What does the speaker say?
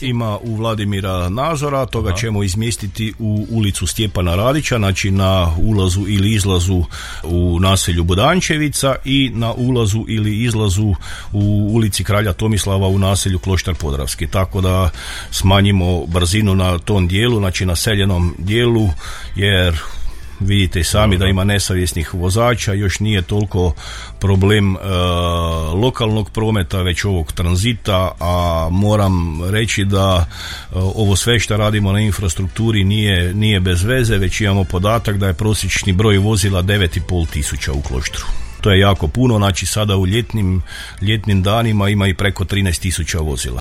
Ima u Vladimira Nazora, toga ćemo izmjestiti u ulicu Stjepana Radića, znači na ulazu ili izlazu u naselju Budančevica i na ulazu ili izlazu u ulici Kralja Tomislava u naselju Kloštar Podravski. Tako da smanjimo brzinu na tom dijelu, znači na seljenom dijelu, jer vidite sami da ima nesavjesnih vozača, još nije toliko problem lokalnog prometa, već ovog tranzita, a moram reći da ovo sve što radimo na infrastrukturi nije bez veze, već imamo podatak da je prosječni broj vozila 9.500 u Kloštru. To je jako puno, znači sada u ljetnim danima ima i preko 13.000 vozila.